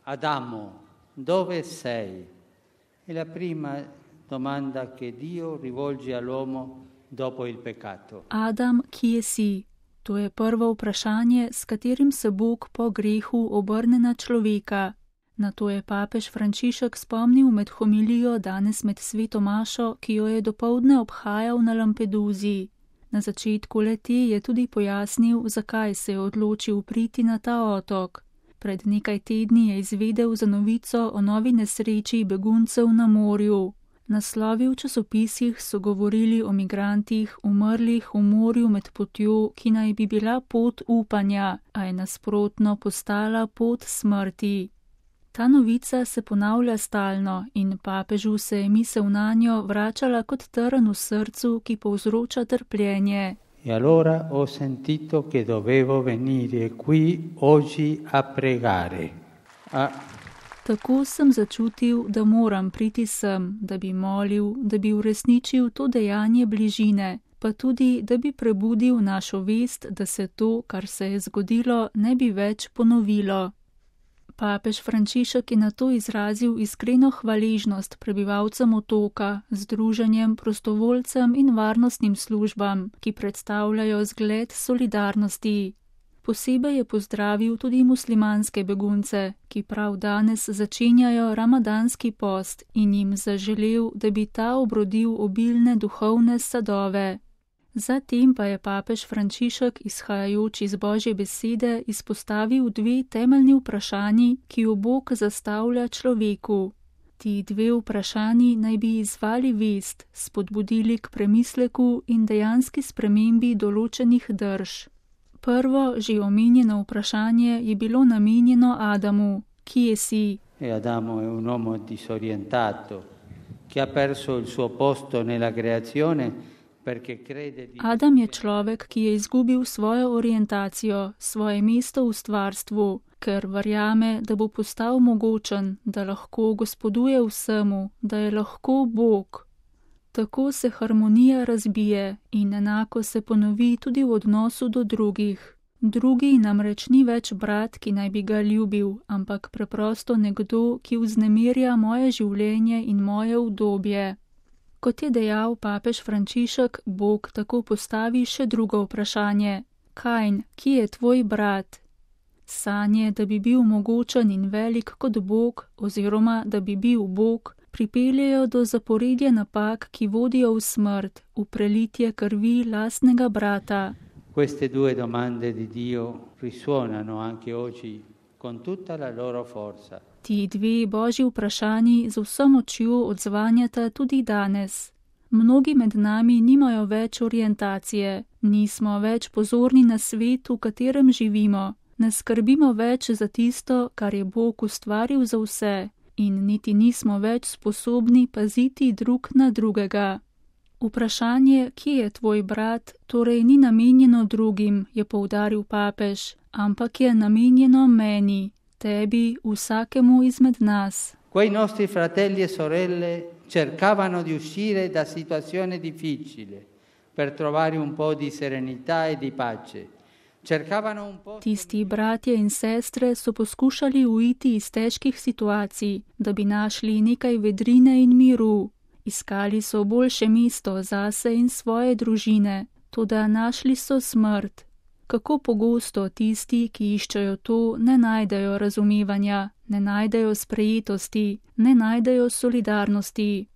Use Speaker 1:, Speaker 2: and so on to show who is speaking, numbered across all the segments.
Speaker 1: Adamo, dove sei? È la prima domanda che Dio rivolge all'uomo dopo il peccato.
Speaker 2: Adam, kje si? To je prvo vprašanje, s katerim se Bog po grehu obrne na človeka. Na to je papež Frančišek spomnil med homilijo danes med sveto mašo, ki jo je dopoldne obhajal na Lampeduzi. Na začetku le-te je tudi pojasnil, zakaj se je odločil priti na ta otok. Pred nekaj tedni je izvedel za novico o novi nesreči beguncev na morju. Naslovi v časopisih so govorili o migrantih, umrlih v morju med potjo, ki naj bi bila pot upanja, a je nasprotno postala pot smrti. Ta novica se ponavlja stalno in papežu se je misel nanjo vračala kot trn v srcu, ki povzroča trpljenje.
Speaker 1: E allora ho sentito che dovevo venire qui oggi a pregare.
Speaker 2: Tako sem začutil, da moram priti sem, da bi molil, da bi uresničil to dejanje bližine, pa tudi, da bi prebudil našo vest, da se to, kar se je zgodilo, ne bi več ponovilo. Papež Frančišek je na to izrazil iskreno hvaležnost prebivalcem otoka, združenjem, prostovoljcem in varnostnim službam, ki predstavljajo zgled solidarnosti. Posebej je pozdravil tudi muslimanske begunce, ki prav danes začenjajo ramadanski post in jim zaželel, da bi ta obrodil obilne duhovne sadove. Zatem pa je papež Frančišek, izhajajoč iz Božje besede, izpostavil dve temeljni vprašanji, ki jo Bog zastavlja človeku. Ti dve vprašanji naj bi izzvali vest, spodbudili k premisleku in dejanski spremembi določenih drž. Prvo, že omenjeno vprašanje je bilo namenjeno Adamu. Kje si?
Speaker 1: Adamo è un uomo disorientato, che ha perso il suo posto nella creazione perché crede di...
Speaker 2: Adam je človek, ki je izgubil svojo orientacijo, svoje mesto v stvarstvu, ker verjame, da bo postal mogočen, da lahko gospoduje vsemu, da je lahko Bog. Tako se harmonija razbije in enako se ponovi tudi v odnosu do drugih. Drugi namreč ni več brat, ki naj bi ga ljubil, ampak preprosto nekdo, ki vznemirja moje življenje in moje udobje. Kot je dejal papež Frančišek, Bog tako postavi še drugo vprašanje. Kain, kje je tvoj brat? Sanje, da bi bil mogočen in velik kot Bog, oziroma da bi bil Bog, pripeljejo do zaporedja napak, ki vodijo v smrt, v prelitje krvi lastnega brata.
Speaker 1: Queste due domande di Dio risuonano anche oggi con tutta la loro forza.
Speaker 2: Ti dve Božji vprašanji z vso močjo odzvanjata tudi danes. Mnogi med nami nimajo več orientacije, nismo več pozorni na svet, v katerem živimo, ne skrbimo več za tisto, kar je Bog ustvaril za vse, in niti nismo več sposobni paziti drug na drugega. Vprašanje, kje je tvoj brat, torej ni namenjeno drugim, je poudaril papež, ampak je namenjeno meni, tebi, vsakemu izmed nas.
Speaker 1: Quei nostri fratelli e sorelle cercavano di uscire da situazioni difficili per trovare un po' di serenità e di pace. Tisti bratje in sestre so poskušali uiti iz težkih situacij, da bi našli nekaj vedrine in miru. Iskali so boljše mesto zase in svoje družine, toda našli so smrt. Kako pogosto tisti, ki iščejo to, ne najdejo razumevanja, ne najdejo sprejetosti, ne najdejo solidarnosti.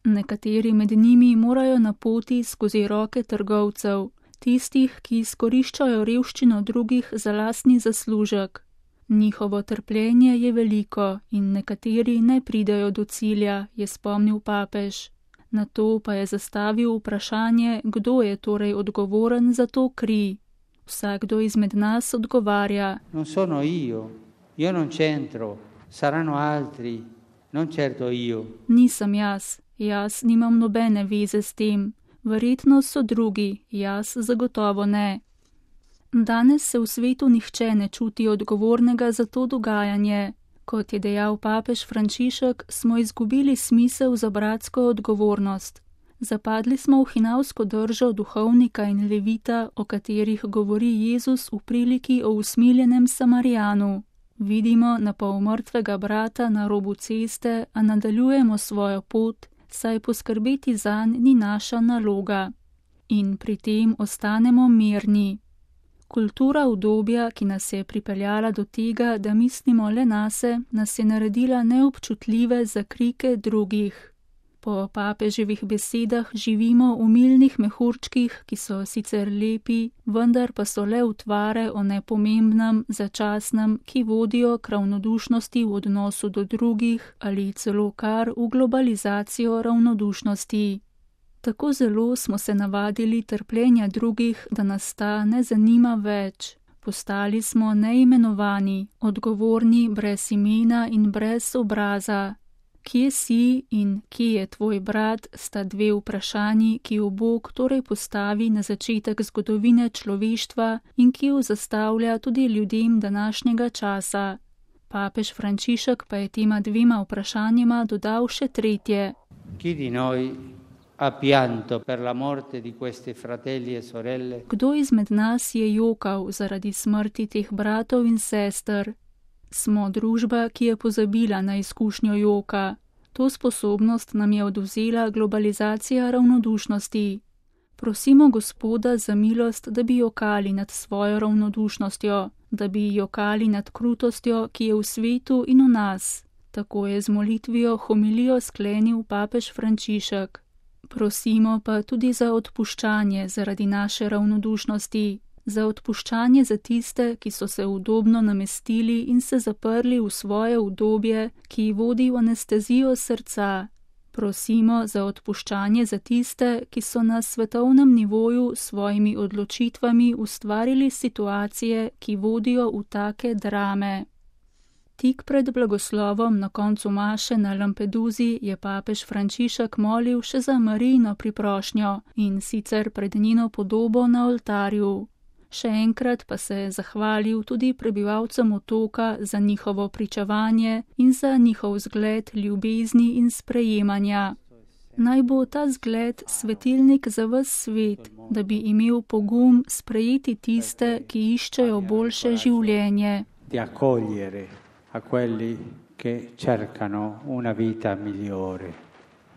Speaker 1: Nekateri med njimi morajo na poti skozi roke trgovcev, tistih, ki izkoriščajo revščino drugih za lastni zaslužek. Njihovo trpljenje je veliko in nekateri ne pridejo do cilja, je spomnil papež. Na to pa je zastavil vprašanje, kdo je torej odgovoren za to kri. Vsakdo izmed nas odgovarja. Non sono io non c'entro, saranno altri, non certo io.
Speaker 2: Nisem jaz nimam nobene veze s tem. Verjetno so drugi, jaz zagotovo ne. Danes se v svetu nihče ne čuti odgovornega za to dogajanje. Kot je dejal papež Frančišek, smo izgubili smisel za bratsko odgovornost. Zapadli smo v hinavsko držo duhovnika in levita, o katerih govori Jezus v priliki o usmiljenem Samarijanu. Vidimo na pol mrtvega brata na robu ceste, a nadaljujemo svojo pot, saj poskrbeti zanj ni naša naloga. In pri tem ostanemo mirni. Kultura udobja, ki nas je pripeljala do tega, da mislimo le nase, nas je naredila neobčutljive za krike drugih. Po papeževih besedah živimo v milnih mehurčkih, ki so sicer lepi, vendar pa so le utvare o nepomembnem, začasnem, ki vodijo k ravnodušnosti v odnosu do drugih ali celo kar v globalizacijo ravnodušnosti. Tako zelo smo se navadili trpljenja drugih, da nas ta ne zanima več. Postali smo neimenovani, odgovorni, brez imena in brez obraza. Kje si in kje je tvoj brat, sta dve vprašanji, ki jo Bog torej postavi na začetek zgodovine človeštva in ki jo zastavlja tudi ljudem današnjega časa. Papež Frančišek pa je tema dvema vprašanjima dodal še tretje. Kdo izmed nas je jokal zaradi smrti teh bratov in sester? Smo družba, ki je pozabila na izkušnjo joka. To sposobnost nam je odvzela globalizacija ravnodušnosti. Prosimo Gospoda za milost, da bi jokali nad svojo ravnodušnostjo, da bi jokali nad krutostjo, ki je v svetu in v nas. Tako je z molitvijo homilijo sklenil papež Frančišek. Prosimo pa tudi za odpuščanje zaradi naše ravnodušnosti. Za odpuščanje za tiste, ki so se udobno namestili in se zaprli v svoje udobje, ki vodi v anestezijo srca. Prosimo za odpuščanje za tiste, ki so na svetovnem nivoju s svojimi odločitvami ustvarili situacije, ki vodijo v take drame. Tik pred blagoslovom na koncu maše na Lampeduzi je papež Frančišek molil še za Marijino priprošnjo in sicer pred njeno podobo na oltarju. Še enkrat pa se je zahvalil tudi prebivalcem otoka za njihovo pričevanje in za njihov zgled ljubezni in sprejemanja. Naj bo ta zgled svetilnik za ves svet, da bi imel pogum sprejeti tiste, ki iščejo boljše življenje.
Speaker 1: Di accogliere a quelli che cercano una vita migliore.